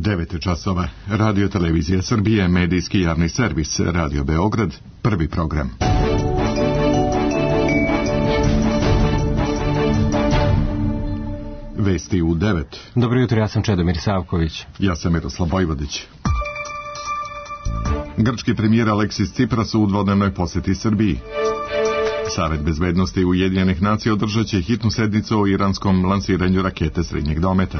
9 časova. Radio Televizija Srbije, medijski javni servis, Radio Beograd, prvi program. Vesti u 9. Dobro jutro, ja sam Čedomir Savković. Ja sam Miroslav Vojvodić. Grčki premijer Aleksis Cipras u dvodnevnoj posjeti Srbiji. Savet bezbednosti Ujedinjenih nacija održat će hitnu sednicu o iranskom lansiranju rakete srednjeg dometa.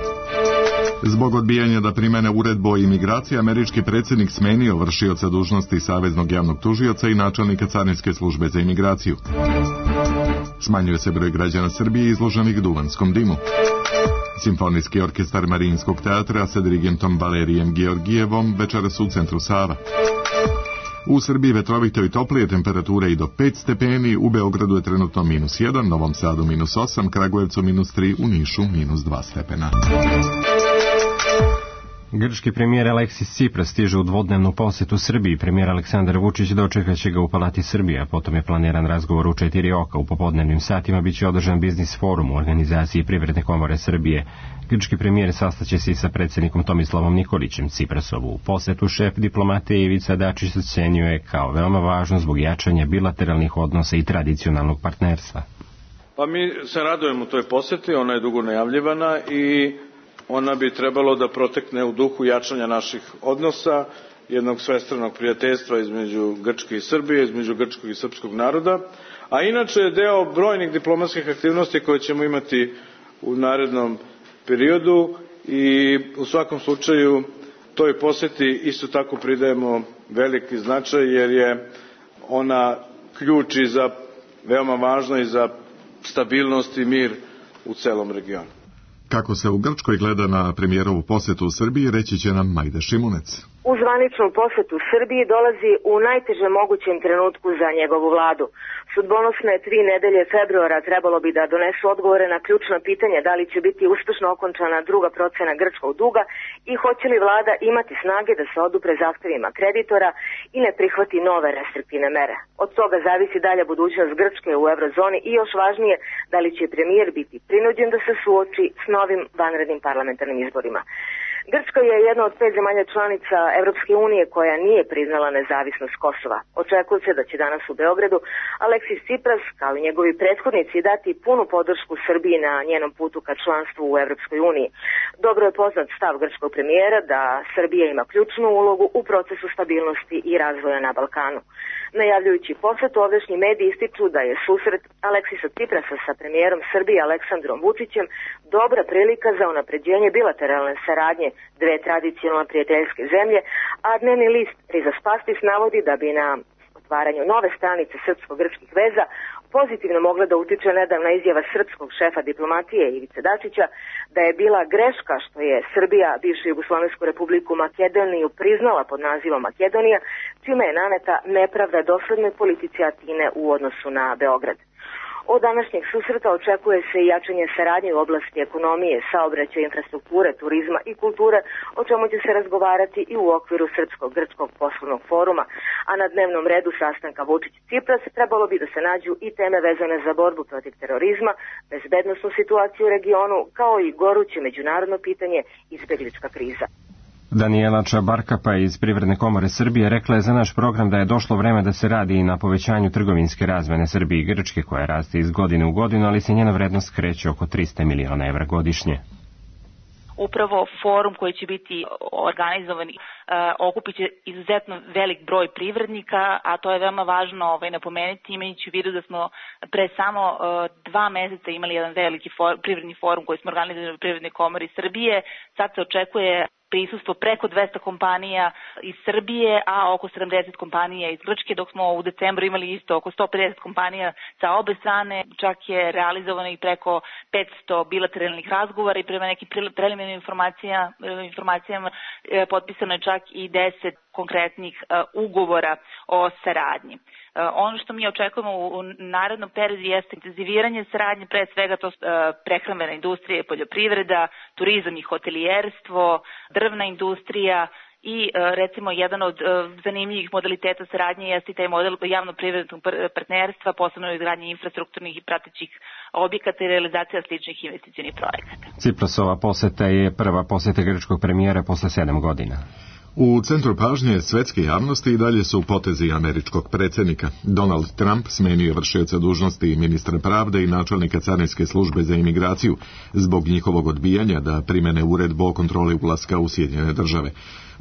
Zbog odbijanja da primene uredbu o imigraciji, američki predsjednik smenio vršioca dužnosti Saveznog javnog tužioca i načelnika Carinske službe za imigraciju. Smanjuje se broj građana Srbije izloženih duvanskom dimu. Simfonijski orkestar Marinskog teatra sa dirigentom Valerijem Georgijevom večeras u centru Sava. U Srbiji vetrovito i toplije, temperature i do 5 stepeni, u Beogradu je trenutno -1, Novom Sadu -8, Kragujevcu -3, u Nišu -2 stepena. Grčki premijer Aleksis Cipras stiže u dvodnevnu posjetu Srbiji. Premijer Aleksandar Vučić dočekaće ga u Palati Srbije, a potom je planiran razgovor u 4 oka. U popodnevnim satima biće održan biznis forum u organizaciji Privredne komore Srbije. Grčki premijer sastaće se i sa predsjednikom Tomislavom Nikolićem. Ciprasovu posjetu šef diplomatije Ivica Dačić ocenjuje kao veoma važno zbog jačanja bilateralnih odnosa i tradicionalnog partnerstva. Pa mi se radujemo toj posjeti, ona je dugo najavljivana i ona bi trebalo da protekne u duhu jačanja naših odnosa, jednog svestranog prijateljstva između Grčke i Srbije, između grčkog i srpskog naroda, a inače je deo brojnih diplomatskih aktivnosti koje ćemo imati u narednom periodu i u svakom slučaju toj posjeti isto tako pridajemo veliki značaj jer je ona ključ i za veoma važno i za stabilnost i mir u celom regionu. Kako se u Grčkoj gleda na premijerovu posjetu u Srbiji, reći će nam Majda Šimunec. U zvaničnu posjetu Srbiji dolazi u najtežem mogućem trenutku za njegovu vladu. Sudbonosne 3 nedelje februara trebalo bi da donesu odgovore na ključno pitanje da li će biti uspešno okončana druga procena grčkog duga i hoće li vlada imati snage da se odupre zahtevima kreditora i ne prihvati nove restriktivne mere. Od toga zavisi dalja budućnost Grčke u eurozoni i još važnije da li će premijer biti prinuđen da se suoči s novim vanrednim parlamentarnim izborima. Grčka je jedna od 5 zemalja članica Evropske unije koja nije priznala nezavisnost Kosova. Očekuje se da će danas u Beogradu Aleksis Cipras, kao i njegovi prethodnici, dati punu podršku Srbiji na njenom putu ka članstvu u Evropskoj uniji. Dobro je poznat stav grčkog premijera da Srbija ima ključnu ulogu u procesu stabilnosti i razvoja na Balkanu. Najavljujući posjetu, ovdašnji mediji ističu da je susret Aleksisa Ciprasa sa premijerom Srbije Aleksandrom Vučićem dobra prilika za unapređenje bilateralne saradnje dve tradicionalno prijateljske zemlje, a dnevni list Rizaspastis navodi da bi na otvaranju nove stranice srpsko-grčkih veza pozitivno mogla da utiče nedavna izjava srpskog šefa diplomatije Ivice Dačića da je bila greška što je Srbija bivšu Jugoslovensku republiku Makedoniju priznala pod nazivom Makedonija, čime je naneta nepravda doslednoj politici Atine u odnosu na Beograd. Od današnjeg susreta očekuje se i jačanje saradnje u oblasti ekonomije, saobraćaja, infrastrukture, turizma i kulture, o čemu će se razgovarati i u okviru Srpsko-grčkog poslovnog foruma, a na dnevnom redu sastanka Vučić-Cipras trebalo bi da se nađu i teme vezane za borbu protiv terorizma, bezbednosnu situaciju u regionu, kao i goruće međunarodno pitanje izbeglička kriza. Danijela Čabarkapa iz Privredne komore Srbije rekla je za naš program da je došlo vreme da se radi i na povećanju trgovinske razmene Srbije i Grčke, koja raste iz godine u godinu, ali se njena vrednost kreće oko 300 miliona evra godišnje. Upravo forum koji će biti organizovan okupit će izuzetno velik broj privrednika, a to je veoma važno napomenuti, imajući u vidu da smo pre samo 2 meseca imali jedan veliki privredni forum koji smo organizovali u Privrednoj komori Srbije. Sad se očekuje prisustvo preko 200 kompanija iz Srbije, a oko 70 kompanija iz Grčke, dok smo u decembru imali isto oko 150 kompanija sa obe strane. Čak je realizovano i preko 500 bilateralnih razgovora i prema nekim preliminarnim informacijama potpisano je čak i 10 konkretnih ugovora o saradnji. Ono što mi očekujemo u narednom periodu jeste intenziviranje saradnje, pre svega to prehrambena industrija i poljoprivreda, turizam i hotelijerstvo, drvna industrija i recimo jedan od zanimljivih modaliteta saradnje jeste taj model javno-privatnog partnerstva, posebno izgradnje infrastrukturnih i pratećih objekata i realizacija sličnih investicionih projekata. Ciprasova poseta je prva poseta grčkog premijera posle 7 godina. U centru pažnje svetske javnosti i dalje su potezi američkog predsjednika. Donald Trump smenio vršioca dužnosti ministra pravde i načelnika carinske službe za imigraciju zbog njihovog odbijanja da primene uredbu o kontroli ulaska u Sjedinjene države.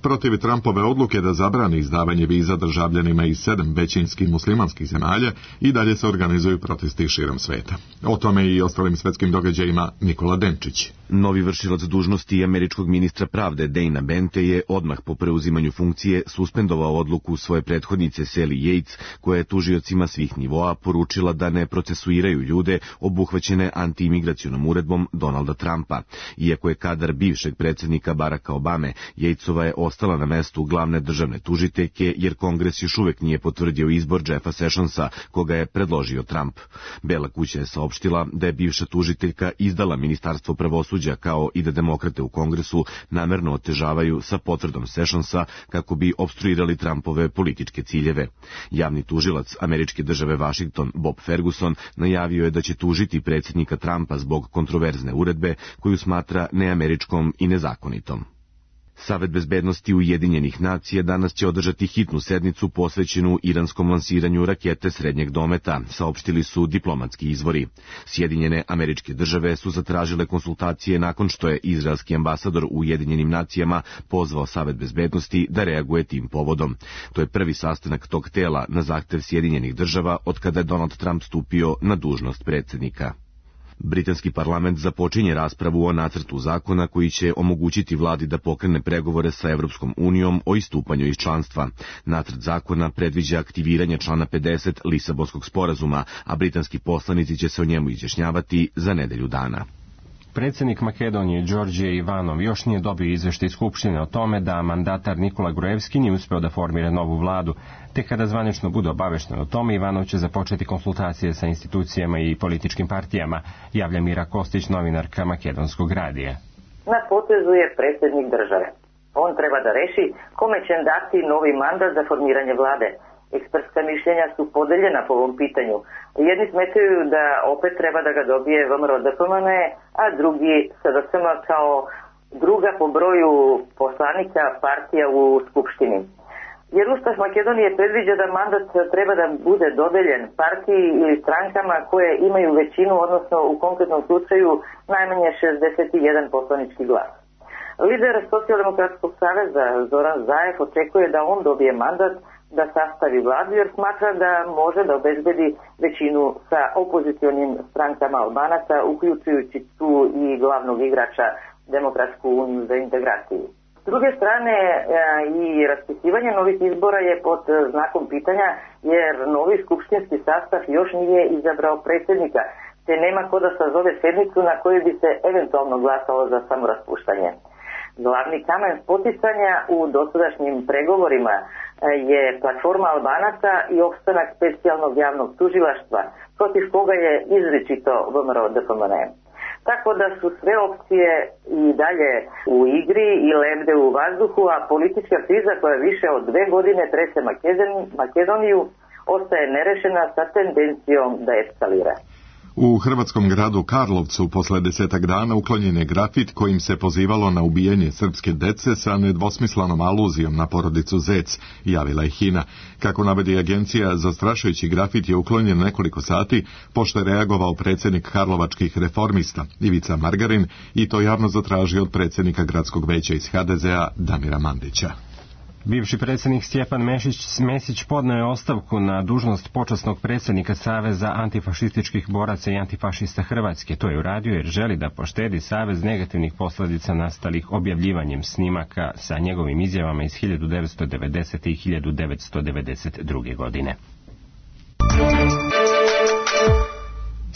Protiv Trumpove odluke da zabrani izdavanje viza državljanima iz 7 većinskih muslimanskih zemalja i dalje se organizuju protesti širom sveta. O tome i ostalim svetskim događajima Nikola Denčić. Novi vršilac dužnosti američkog ministra pravde Dana Bente je odmah po preuzimanju funkcije suspendovao odluku svoje prethodnice Sally Yates, koja je tužiocima svih nivoa poručila da ne procesuiraju ljude obuhvaćene antiimigracionom uredbom Donalda Trumpa. Iako je kadar bivšeg predsjednika Baracka Obame, Yatesova je ostala na mestu glavne državne tužiteljke jer Kongres još uvek nije potvrdio izbor Jeffa Sessionsa, koga je predložio Trump. Bela kuća je saopštila da je bivša tužiteljka izdala Ministarstvo pravosuđa kao i da demokrate u Kongresu namerno otežavaju sa potvrdom Sessionsa kako bi opstruirali Trumpove političke ciljeve. Javni tužilac američke države Washington Bob Ferguson najavio je da će tužiti predsjednika Trumpa zbog kontroverzne uredbe koju smatra neameričkom i nezakonitom. Savet bezbednosti Ujedinjenih nacija danas će održati hitnu sednicu posvećenu iranskom lansiranju rakete srednjeg dometa, saopštili su diplomatski izvori. Sjedinjene Američke Države su zatražile konsultacije nakon što je izraelski ambasador u Ujedinjenim nacijama pozvao Savet bezbednosti da reaguje tim povodom. To je prvi sastanak tog tela na zahtev Sjedinjenih Država od kada je Donald Trump stupio na dužnost predsjednika. Britanski parlament započinje raspravu o nacrtu zakona koji će omogućiti vladi da pokrene pregovore sa Evropskom unijom o istupanju iz članstva. Nacrt zakona predviđa aktiviranje člana 50 Lisabonskog sporazuma, a britanski poslanici će se o njemu izjašnjavati za nedelju dana. Predsjednik Makedonije Đorđe Ivanov još nije dobio izveštaj Skupštine o tome da mandatar Nikola Gruevski nije uspeo da formira novu vladu, te kada zvanično bude obavešten o tome, Ivanov će započeti konsultacije sa institucijama i političkim partijama, javlja Mira Kostić, novinarka Makedonskog radija. Na potezu je predsjednik države. On treba da reši kome će dati novi mandat za formiranje vlade. Ekspertska mišljenja su podeljena po ovom pitanju. Jedni smetaju da opet treba da ga dobije VMRO DPMN, a drugi SDSM kao druga po broju poslanika partija u Skupštini. Jer Ustav Makedonije predviđa da mandat treba da bude dodeljen partiji ili strankama koje imaju većinu, odnosno u konkretnom slučaju najmanje 61 poslanički glas. Lider Socijaldemokratskog saveza Zoran Zaev očekuje da on dobije mandat da sastavi vladu jer smatra da može da obezbedi većinu sa opozicionim strankama Albanaca, uključujući tu i glavnog igrača Demokratsku uniju za integraciju. S druge strane, i raspisivanje novih izbora je pod znakom pitanja jer novi skupštinski sastav još nije izabrao predsjednika, te nema ko da sazove sednicu na kojoj bi se eventualno glasalo za samoraspuštanje. Glavni kamen spoticanja u dosadašnjim pregovorima je platforma Albanaca i opstanak specijalnog javnog tužilaštva, protiv koga je izričito VMRO DPMN. Tako da su sve opcije i dalje u igri i lebde u vazduhu, a politička kriza koja više od 2 godine trese Makedoniju ostaje nerešena sa tendencijom da eskalira. U hrvatskom gradu Karlovcu posle 10 dana uklonjen je grafit kojim se pozivalo na ubijanje srpske dece sa nedvosmislenom aluzijom na porodicu Zec, javila je HINA. Kako navodi agencija, zastrašujući grafit je uklonjen nekoliko sati pošto je reagovao predsjednik karlovačkih reformista Ivica Margarin i to javno zatražio od predsjednika gradskog veća iz HDZ-a Damira Mandića. Bivši predsjednik Stjepan Mesić podneo je ostavku na dužnost počasnog predsjednika Saveza antifašističkih boraca i antifašista Hrvatske. To je uradio jer želi da poštedi Savez negativnih posljedica nastalih objavljivanjem snimaka sa njegovim izjavama iz 1990. i 1992. godine.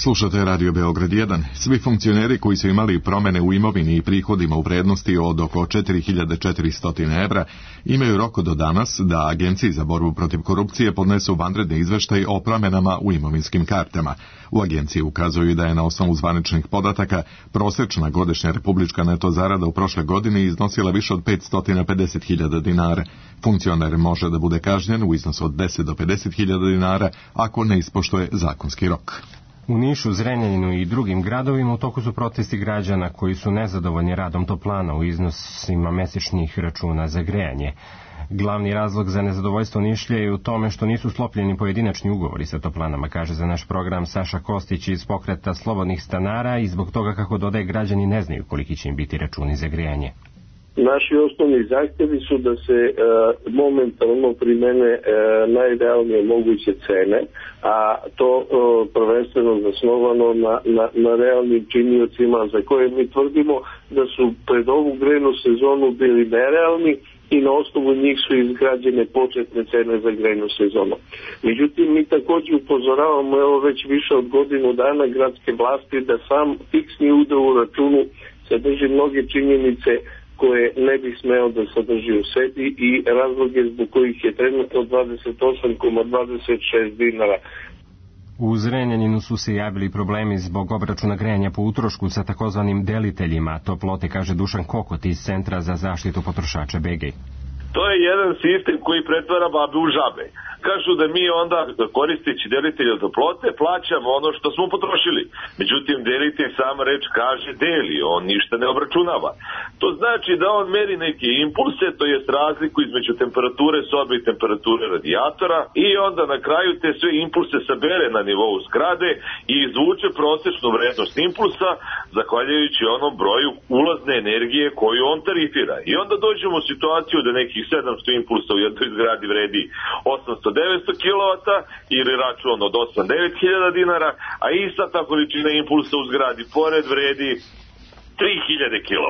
Slušate Radio Beograd 1. Svi funkcioneri koji su imali promene u imovini i prihodima u vrednosti od oko 4400 evra imaju rok do danas da Agenciji za borbu protiv korupcije podnesu vanredni izveštaj o promenama u imovinskim kartama. U agenciji ukazuju da je na osnovu zvaničnih podataka prosečna godišnja republička neto zarada u prošle godini iznosila više od 550.000 dinara. Funkcioner može da bude kažnjen u iznosu od 10 do 50.000 dinara ako ne ispoštuje zakonski rok. U Nišu, Zrenjaninu i drugim gradovima u toku su protesti građana koji su nezadovoljni radom toplana u iznosima mesečnih računa za grejanje. Glavni razlog za nezadovoljstvo Nišlja je u tome što nisu sklopljeni pojedinačni ugovori sa toplanama, kaže za naš program Saša Kostić iz pokreta slobodnih stanara, i zbog toga, kako dodaje, građani ne znaju koliki će im biti računi za grejanje. Naši osnovni zahtjevi su da se momentalno primene najrealnije moguće cene, a to prvenstveno zasnovano na realnim činiocima za koje mi tvrdimo da su pred ovu grejnu sezonu bili nerealni i na osnovu njih su izgrađene početne cene za grejnu sezonu. Međutim, mi također upozoravamo već više od godinu dana gradske vlasti da sam fiksni udeo u računu sadrži mnoge činjenice koje ne bi smeo da sadrži u sebi i razloge zbog kojih je trenutno 28,26 dinara. U Zrenjaninu su se javili problemi zbog obračuna grejanja po utrošku sa takozvanim deliteljima toplote, kaže Dušan Kokot iz Centra za zaštitu potrošača BG. To je jedan sistem koji pretvara babe u žabe. Kažu da mi onda, koristeći delitelja toplote, plaćamo ono što smo potrošili. Međutim, delitelj, sama reč kaže, deli, on ništa ne obračunava. To znači da on meri neke impulse, to jest razliku između temperature sobe i temperature radijatora, i onda na kraju te sve impulse sabere na nivou zgrade i izvuče prosečnu vrednost impulsa, zahvaljujući onom broju ulazne energije koju on tarifira. I onda dođemo u situaciju da nekih 700 impulsa u jednoj zgradi vredi 800-900 kW ili račun od 8-9 hiljada dinara, a ista ta količina impulsa u zgradi pored vredi 3000 kW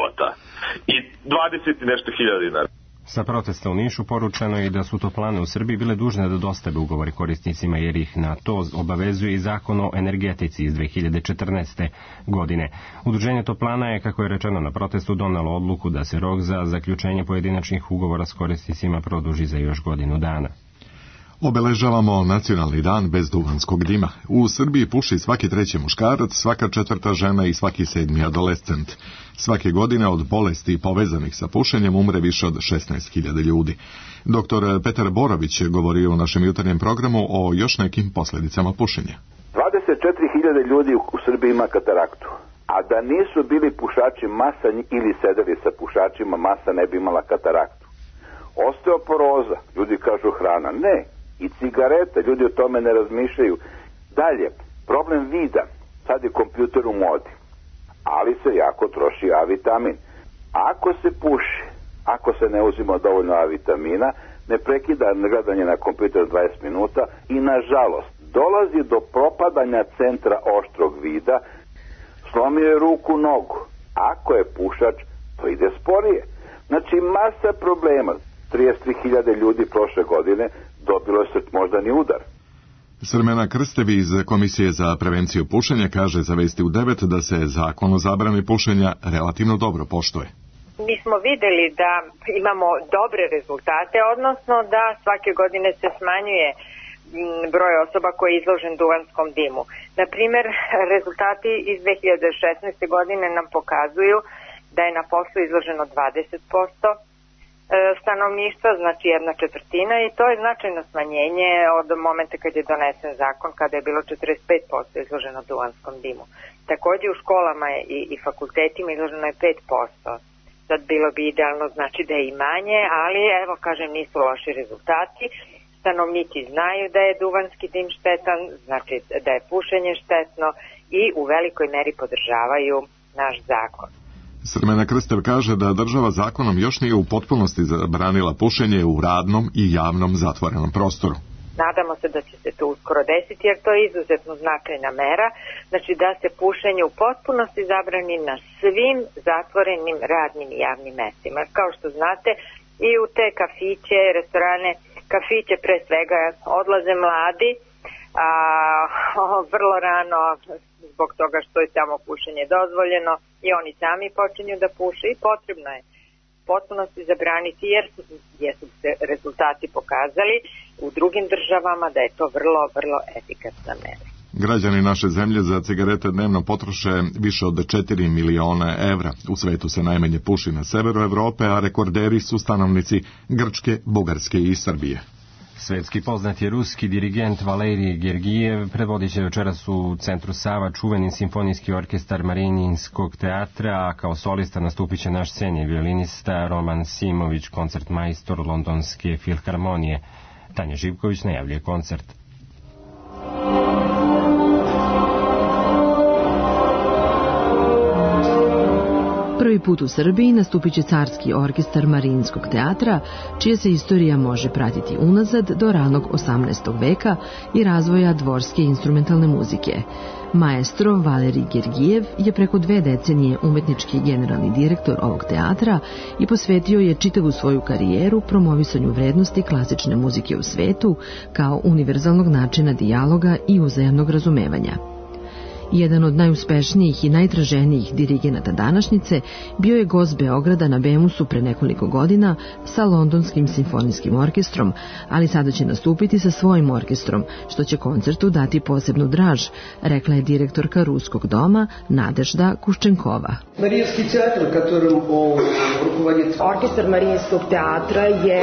i 20 i nešto hiljada dinara. Sa protesta u Nišu poručeno je da su toplane u Srbiji bile dužne da dostave ugovori korisnicima, jer ih na to obavezuje i zakon o energetici iz 2014. godine. Udruženje toplana je, kako je rečeno na protestu, donelo odluku da se rok za zaključenje pojedinačnih ugovora s korisnicima produži za još godinu dana. Obeležavamo nacionalni dan bez duvanskog dima. U Srbiji puši svaki treći muškarac, svaka četvrta žena i svaki sedmi adolescent. Svake godine od bolesti povezanih sa pušenjem umre više od 16.000 ljudi. Dr. Petar Borović je govorio u našem jutarnjem programu o još nekim posljedicama pušenja. 24.000 ljudi u Srbiji ima kataraktu. A da nisu bili pušači masa ili sedeli sa pušačima, masa ne bi imala kataraktu. Osteoporoza, ljudi kažu hrana, ne. I cigarete, ljudi o tome ne razmišljaju. Dalje, problem vida, sad je kompjuter u modi, ali se jako troši A vitamin. Ako se puši, ako se ne uzima dovoljno A vitamina, ne prekida gledanje na kompjuter 20 minuta i nažalost dolazi do propadanja centra oštrog vida, slomio je ruku, nogu. Ako je pušač, to ide sporije. Znači masa problema. 33.000 ljudi prošle godine dobilo je moždani udar. Srmena Krstevi iz Komisije za prevenciju pušenja kaže za Vesti u 9 da se zakon o zabrani pušenja relativno dobro poštuje. Mi smo videli da imamo dobre rezultate, odnosno da svake godine se smanjuje broj osoba koji je izložen duvanskom dimu. Na primjer, rezultati iz 2016. godine nam pokazuju da je na poslu izloženo 20% stanovništva, znači 1/4, i to je značajno smanjenje od momenta kad je donesen zakon, kada je bilo 45% izloženo duvanskom dimu. Također u školama i fakultetima izloženo je 5%. Sad bilo bi idealno, znači da je i manje, ali evo kažem, nisu loši rezultati. Stanovnici znaju da je duvanski dim štetan, znači da je pušenje štetno, i u velikoj meri podržavaju naš zakon. Srmena Krstev kaže da država zakonom još nije u potpunosti zabranila pušenje u radnom i javnom zatvorenom prostoru. Nadamo se da će se to uskoro desiti, jer to je izuzetno značajna mera, znači da se pušenje u potpunosti zabrani na svim zatvorenim radnim i javnim mestima. Kao što znate, i u te kafiće, restorane, kafiće pre svega odlaze mladi, vrlo rano zbog toga što je tamo pušenje dozvoljeno i oni sami počinju da puše i potrebno je potpunosti zabraniti jer su se rezultati pokazali u drugim državama da je to vrlo, vrlo efikasna mera. Građani naše zemlje za cigarete dnevno potroše više od 4 miliona evra. U svetu se najmanje puši na severu Evrope, a rekorderi su stanovnici Grčke, Bugarske i Srbije. Svetski poznat je ruski dirigent Valerij Gergijev, predvodit će večeras u centru Sava čuveni simfonijski orkestar Mariinskog teatra, a kao solista nastupit će naš sceni violinista Roman Simović, koncertmajstor Londonske filharmonije. Tanja Živković najavljuje koncert. Prvi put u Srbiji nastupit će carski orkestar Mariinskog teatra, čija se istorija može pratiti unazad do ranog 18. veka i razvoja dvorske instrumentalne muzike. Maestro Valerij Gergijev je preko 2 decenije umetnički generalni direktor ovog teatra i posvetio je čitavu svoju karijeru promovisanju vrednosti klasične muzike u svetu kao univerzalnog načina dijaloga i uzajamnog razumevanja. Jedan od najuspešnijih i najtraženijih dirigenata današnjice bio je gost Beograda na Bemusu pre nekoliko godina sa Londonskim simfonijskim orkestrom, ali sada će nastupiti sa svojim orkestrom, što će koncertu dati posebnu draž, rekla je direktorka Ruskog doma Nadežda Kuščenkova. Orkestar Mariinskog teatra je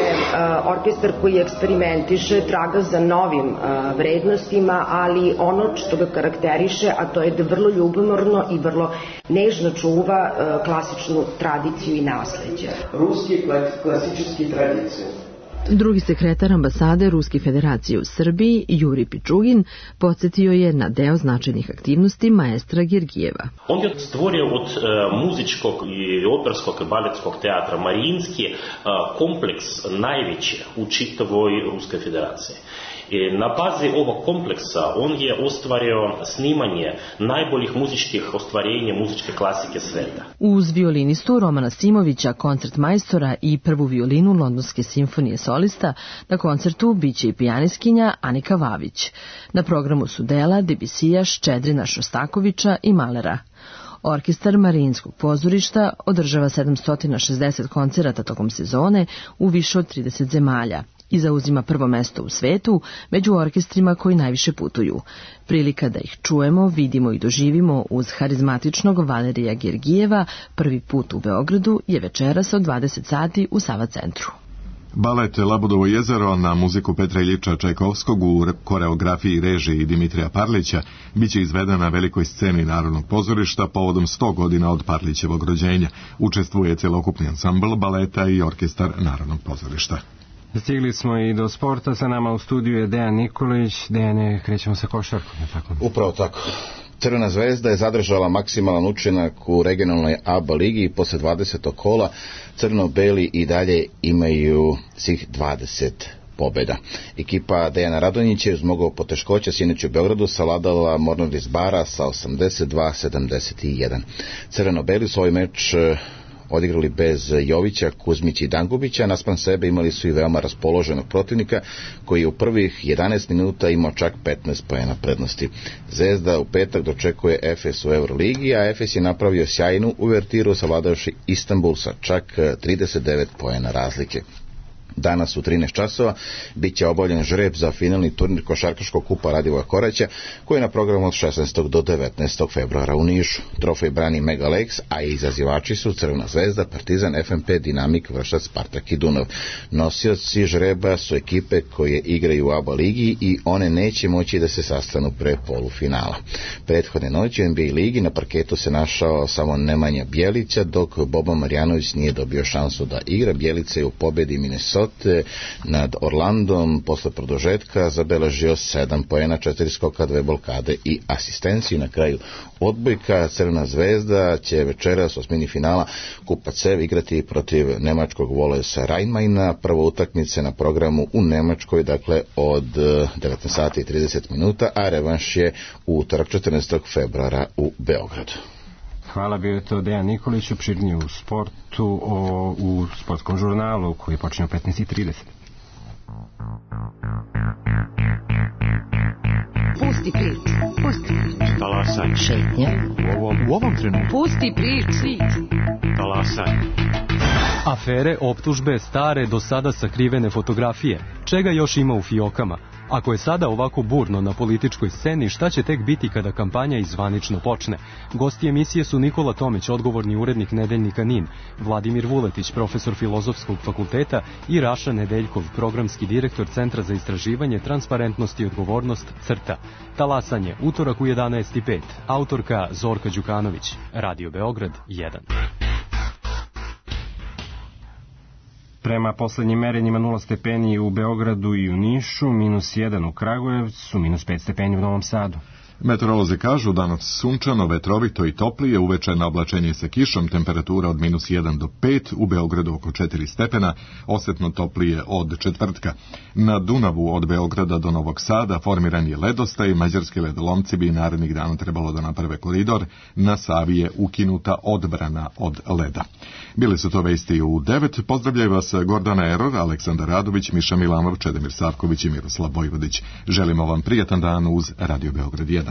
orkestar koji eksperimentiše, traga za novim vrednostima, ali ono što ga karakteriše, a to je da vrlo ljubomorno i vrlo nežno čuva klasičnu tradiciju i nasleđe. Ruski klasički tradiciju. Drugi sekretar ambasade Ruske federacije u Srbiji, Juri Pičugin, podsjetio je na deo značajnih aktivnosti maestra Gergijeva. On je stvorio od muzičkog i operskog i baletskog teatra Mariinski kompleks najveći u čitavoj Ruskoj federaciji. Na bazi ovog kompleksa on je ostvario snimanje najboljih muzičkih ostvarenja muzičke klasike sveta. Uz violinistu Romana Simovića, koncertmajstora i prvu violinu Londonske simfonije solista, na koncertu biće i pijaniskinja Anika Vavić. Na programu su dela Debussija, Ščedrina, Šostakovića i Malera. Orkestar Mariinskog pozorišta održava 760 koncerata tokom sezone u više od 30 zemalja i zauzima prvo mesto u svetu među orkestrima koji najviše putuju. Prilika da ih čujemo, vidimo i doživimo uz harizmatičnog Valerija Gergijeva prvi put u Beogradu je večeras od 20 sati u Sava centru. Balet Labudovo jezero na muziku Petra Iljiča Čajkovskog u koreografiji i režiji Dimitrija Parlića biće izveden na velikoj sceni Narodnog pozorišta povodom 100 godina od Parlićevog rođenja. Učestvuje celokupni ansambl baleta i orkestar Narodnog pozorišta. Stigli smo i do sporta, sa nama u studiju je Dejan Nikolić. Dejane, krećemo sa košarkom, je tako? Upravo tako. Crvena zvezda je zadržala maksimalan učinak u regionalnoj ABA ligi i posle 20. kola crno-beli i dalje imaju svih 20 pobjeda. Ekipa Dejana Radonjića je uz mnogo poteškoća sinoć u Beogradu savladala Mornar iz Bara sa 82-71. Crveno-beli su ovaj meč odigrali bez Jovića, Kuzmića i Dangubića, naspram sebe imali su i veoma raspoloženog protivnika koji je u prvih 11 minuta imao čak 15 poena prednosti. Zvezda u petak dočekuje Efes u Euroligi, a Efes je napravio sjajnu uvertiru savladavši Istanbul sa čak 39 poena razlike. Danas u 13 časova bit će obavljen žreb za finalni turnir košarkaškog kupa Radivoja Koraća, koji je na programu od 16. do 19. februara u Nišu. Trofej brani Mega Lakes, a izazivači su Crvena zvezda, Partizan, FNP, Dinamik, Vršac, Spartak i Dunav. Nosioci žreba su ekipe koje igraju u ABA ligi i one neće moći da se sastanu pre polufinala. Prethodne noći u NBA ligi na parketu se našao samo Nemanja Bjelića, dok Boba Marjanović nije dobio šansu da igra. Bjelica je u pobedi Minnesota nad Orlandom posle produžetka zabeležio 7 poena, 4 skoka, 2 blokade i asistenciju. Na kraju odbojka. Crvena zvezda će večeras u osmini finala Kupa CEV igrati protiv nemačkog Volesa Rajnmajna. Prva utakmica na programu u Nemačkoj, dakle od 19 sati i 30 minuta, a revanš je u utorak 14. februara u Beogradu. Hvala, bio je to Dejan Nikolić, opširnije u sportu, u sportskom žurnalu koji počinje u 15:30. Pusti klip. Talasač. Talasanje. U ovom trenutku. Pusti priču. Talasanje. Afere, optužbe, stare, do sada sakrivene fotografije. Čega još ima u fijokama? Ako je sada ovako burno na političkoj sceni, šta će tek biti kada kampanja izvanično počne? Gosti emisije su Nikola Tomić, odgovorni urednik Nedeljnika NIN, Vladimir Vuletić, profesor Filozofskog fakulteta i Raša Nedeljkov, programski direktor Centra za istraživanje, transparentnost i odgovornost CRTA. Talasanje, utorak u 11:05. Autorka Zorka Đukanović. Radio Beograd 1. Prema poslednjim merenjima 0 stepeni u Beogradu i u Nišu, -1 u Kragujevcu, -5 stepeni u Novom Sadu. Meteorolozi kažu danas sunčano, vetrovito i toplije, uveče na oblačenje sa kišom, temperatura od -1 do 5, u Beogradu oko 4 stepena, osetno toplije od četvrtka. Na Dunavu od Beograda do Novog Sada formiran je ledostaj, mađarski ledolomci bi narednih dana trebalo da naprave koridor, na Savi je ukinuta odbrana od leda. Bili su to vesti u 9, pozdravljaju vas Gordana Eror, Aleksandar Radović, Miša Milanov, Čedomir Savković i Miroslav Vojvodić. Želimo vam prijatan dan uz Radio Beograd 1.